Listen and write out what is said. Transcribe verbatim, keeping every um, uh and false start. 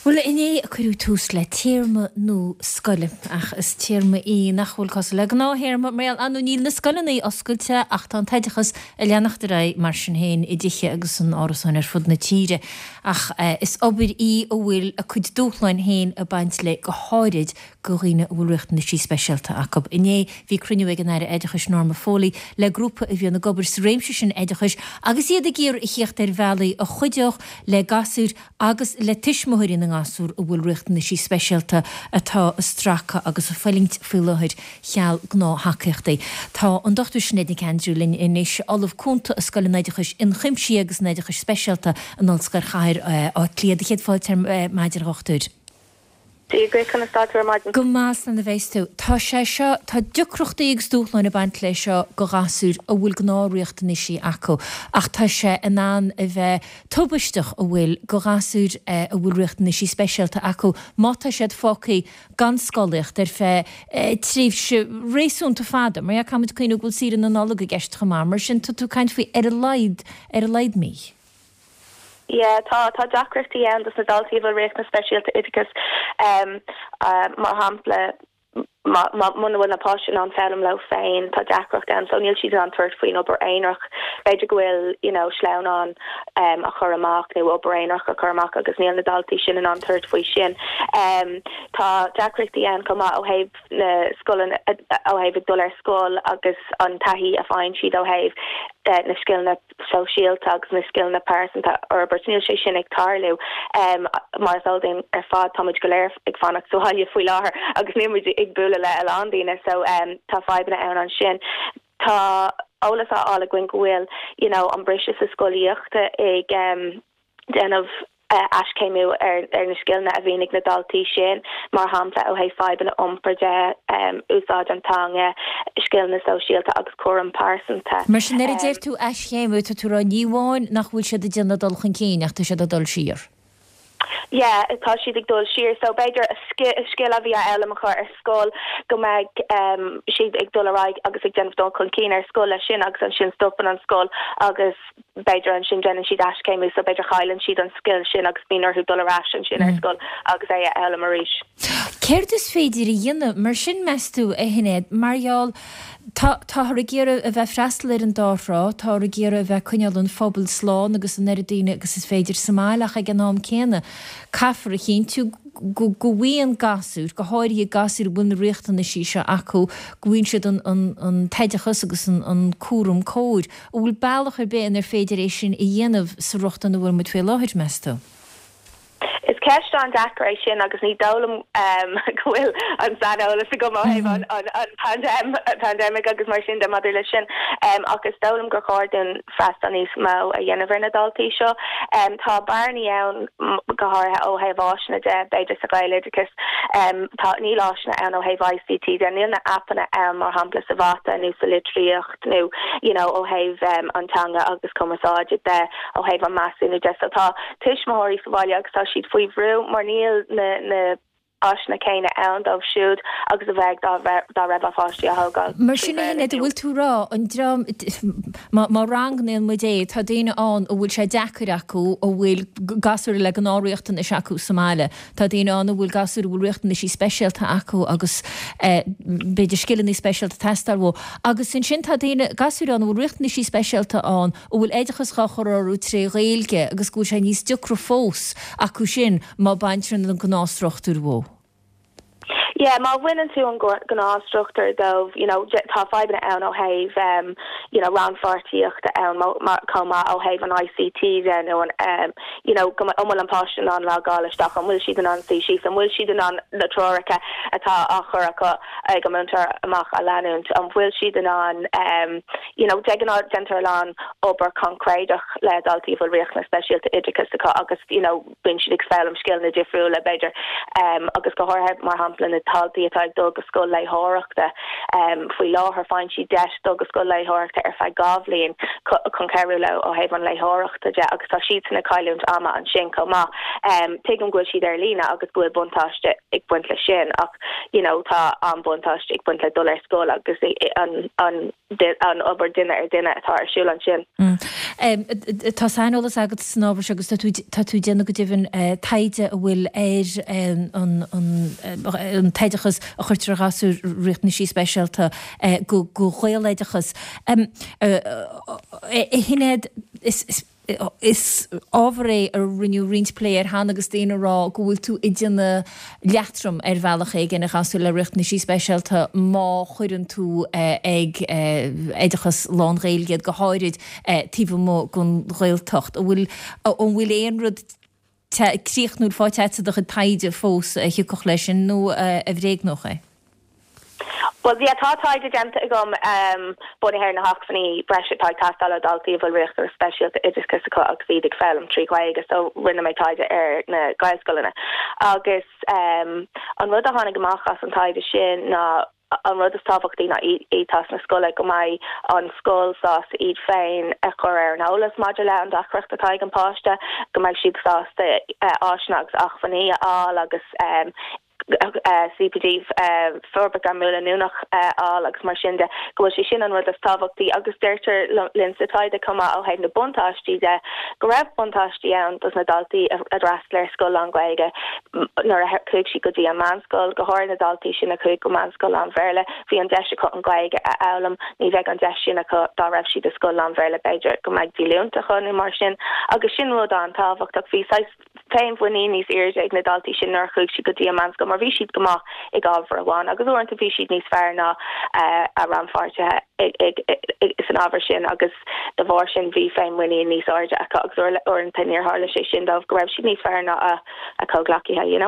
Bhuel, inné a cuireadh tús le téarma nua scoile, ach is téarma í nach bhfuil cosúil le gnáth-théarma mar gheall nó níl na scoileanna oscailte ach tá an t-oideachas ag leanacht ar aghaidh mar sin féin i dtithe agus in árasáin ar fud na tíre. Ach is obair í a bhfuil a cuid dúshláin féin ag baint léi go háirid do dhaoine a bhfuil riachtanaisí speisialta acu. Inné bhí cruinniú ag an Aire Oideachais Norma Foley le grúpa a bhíonn ag obair sa réimse sin oideachais agus iad ag iarraidh a theacht ar bhealaí a chuideodh le gasúir agus le tuismitheoirí na ngasúr a bhfuil riachtanaisí speisialta atá ag stracadh agus ag fulaingt faoi láthair cheal gnáth-thacaíochtaí. Tá an Dochtúir Sinéad Nic Aindriú linn anois, Ollamh Cúnta i Scoil an Oideachais Ionchuimsithigh agus an Oideachais Speisialta in Ollscoil Chathair Átha Cliath. Do chéad fáilte ar maidin a dhochtúir. Dia duit, conas tá tú ar maidin? Go maith, slán a bheas tú. Tá sé seo, tá deacrachtaí agus dúshláin ag baint leis seo do ghasúir a bhfuil gnáth-riachtanaisí acu, ach tá sé in ann a bheith tubaisteach a bhfuil do ghasúir a bhfuil riachtanaisí speisialta acu má tá siad fágtha gan scolaíocht ar feadh tréimhse réasúnta fada. Mar caithfidh muid cuimhneamh go bhfuil saoire na Nollag i gceist chomh maith, mar sin tá tú ag caint faoi ar a laghad, ar a laghad mí. Yeah, tá tá deacrachtaí ann dos na daltaí a bhfuil riachtanas speisialta oideachais um, uh, mar shampla muna bhfuil na páistí in ann foghlaim leo féin tá deacracht ann so níl siad in ann tabhairt faoin obair aonarach b'fhéidir go bhfuil you know sleamhnán um, a chur amach nó obair aonarach a chur amach agus níl na daltaí sin in ann tabhairt faoi sin um, tá deacrachtaí ann chomh maith ó thaobh na scoileanna ó thaobh ag dul ar scoil agus an taithí a fhaigheann siad ó thaobh uh, na scileanna sóisialta agus na scileanna pearsanta a fhorbairt níl sé sin ag tarlú um, mar is eol ar fad táimid go léir ag fanacht sa bhaile faoi láthair agus níl muid ag bualadh le a lán daoine so um, tá fadhbanna ann ansin tá eolas á fháil againn go bhfuil you know an briseadh sa scolaíochta ag um, déanamh uh, aischéimiú ar ar na scileanna a bhíonn ag na daltaí sin mar shampla ó thaobh fadhbanna iompair de um, úsáid an teanga scileanna sóisialta agus cúram pearsanta. Mar sin nuair a deir tú aischéimiú tá tú ag rá ní amháin nach bhfuil siad ag déanamh dul chun cinn ach tá siad ag dul siar. Yeah, tá siad ag dul siar so b'fhéidir a scil a bhí á fhoghlaim acu ar scoil go mbeidh um, siad ag dul ar aghaidh agus ag déanamh dul chun cinn ar scoil leis sin agus ansin stopann an scoil agus b'fhéidir ansin déanann siad aischéimiú so b'fhéidir cailleann siad an scil sin agus bíonn orthu dul ar ais ansin ar scoil agus é a fhoghlaim arís. Céard is féidir a dhéanamh mar sin meas tú a Shinéad mar gheall Tá táthar ag iarraidh a bheith freastal ar an dá thrá, táthar ag iarraidh a bheith coinneáil an phobal slán agus an oiread daoine agus is féidir sa mbaile ach ag an am céanna caithfear a chinntiú go go bhfaigheann gasúir, go háirithe gasúir a bhfuil na riachtanaisí seo acu, go bhfaigheann siad an an an t-oideachas agus an an cúram cóir. An bhfuil bealach ar bith inar féidir é sin a dhéanamh sa rochtain a bhfuil muid faoi láthair meas tú? Is ceist an-deacair é sin agus ní dóigh liom um, go bhfuil an saineolas agam ó thaobh an, an, an pandem, pandemic agus mar sin de maidir leis sin um, agus dóigh liom gur chóir dúinn freastal níos mó a dhéanamh ar na daltaí seo. Um, tá bearnaí ann go háirithe ó thaobh áiseanna de b'fhéidir sa Ghaeloideachas um, tá níl áiseanna ann ó thaobh ICT de níl na appanna ann mar shampla sa mhata nó sa litríocht nó you know, ó thaobh um, an teanga agus cumarsáide de ó thaobh an measúnú de so tá tuismitheoirí sa bhaile agus tá siad faoi bhrú mar níl na na áiseanna céanna ann dóibh siúd agus a bheadh dá raibh a bpáistí á thógáil. Mar sin a Shinéad bhfuil tú ag rá an dream má rangnaíonn muid é tá daoine ann a bhfuil sé deacair acu a bhfuil gasúir le gnáthriachtanais acu sa mbaile. Tá daoine ann a bhfuil gasúir a bhfuil riachtanaisí speisialta acu agus b'fhéidir scileanna speisialta ag teastáil uathu. Agus ansin tá daoine gasúir ann a bhfuil riachtanaisí speisialta ann a bhfuil oideachas á chur orthu tré Ghaeilge agus go bhfuil sé níos deacra fós acu sin má baintear an gnáthstruchtúr uathu. Yeah, má bhaineann tú an gnáthstruchtúr dóibh, you know, tá fadhbanna ann ó thaobh um, you know, rannpháirtíochta ann chomh maith ó thaobh an ICT de nó an um, you know, go an bhfuil an páiste in ann logáil isteach an bhfuil siad in ann suí síos an bhfuil siad in ann na treoracha atá á chur acu ag an múinteoir amach a leanúint an bhfuil siad in ann um, you know, de ghnáth déantar a lán obair concréideach le daltaí bhfuil riachtanas speisialta oideachais acu agus you know, bíonn siad ag foghlaim scileanna difriúla b'fhéidir um, agus go háirithe mar shampla na daltaí atá ag dul go scoil léitheoireachta um, faoi láthair faigheann siad deis dul go scoil léitheoireachta ar feadh dhá bhliain chun cabhrú leo ó thaobh an léitheoireachta de agus tá siad san ag cailliúint ama ansin chomh maith. Um, Tuigim go bhfuil siad ar líne agus go bhfuil buntáiste ag baint le sin ach you know, tá an buntáiste ag baint le dul ar scoil agus an, an, an obair duine ar duine atá ar siúl ansin. Mm. Um, tá saineolas agat san ábhar agus tá tú ag déanamh go deimhin uh, taighde a bhfuil ar um, an, an, an t-oideachas a chuirtear ar ghasúir riachtanaisí speisialta uh, go, go Ghaeloideachas. Um, uh, uh, Shinéad is, is ábhar é a rinneadh roinnt plé air cheana agus daoine ag rá go bhfuil tú ag déanamh leatrom ar bhealach éigin ar ghasúir le riachtanaisí speisialta má chuireann tú ag oideachas lán-Ghaeilge go háirid taobh amuigh den Ghaeltacht. An bhfuil an bhfuil aon rud críochnúil faighte agat sa do chuid taighde fós a thiocfadh leis sin nó a bhréagnódh é? Well yeah tá taighde déanta agam um, bunaithe ar na hacmhainní breise atá ag teastáil ó daltaí a bhfuil riachtanas speisialta oideachais acu agus iad ag foghlaim trí Ghaeilge so rinne mé taighde ar na Gaelscoileanna agus um, an rud a tháinig amach as an taighde sin ná an rud is tábhachtaí ná éiteas na scoile go mbeidh an scoil sásta iad féin a chur ar an eolas maidir le an deacracht atá ag an páiste go mbeidh siad sásta uh, áiseanna agus acmhainní a fháil agus um, CPD forbairt gairmiúil leanúnach fháil agus mar sin de go bhfuil sé sin an rud is tábhachtaí agus deirtear linn sa taighde chomh maith ó thaobh na buntáistí de go raibh buntáistí ann dos na daltaí a d'fhreastail ar scoil lán-Ghaeilge nuair a chuaigh siad go dtí an meánscoil go háirithe na daltaí sin a chuaigh go meánscoil lán-Bhéarla bhí an deis acu an Ghaeilge a fhoghlaim ní bheadh an deis sin acu dá raibh siad i scoil lán-Bhéarla b'fhéidir go mbeadh díolúine acu nó mar sin agus sin rud an-tábhachtach bhí féinmhuinín níos airde ag na daltaí sin nuair a chuaigh siad go dtí an meánscoil mar bhí siad go maith ag ábhar amháin agus uaireanta bhí siad níos fearr ná uh, a rannpháirtithe san ábhar sin agus de bharr sin bhí féinmhuinín níos airde acu agus uaireanta níor tharla sé sin dóibh go raibh siad níos fearr ná a, a comhghleacaithe you know?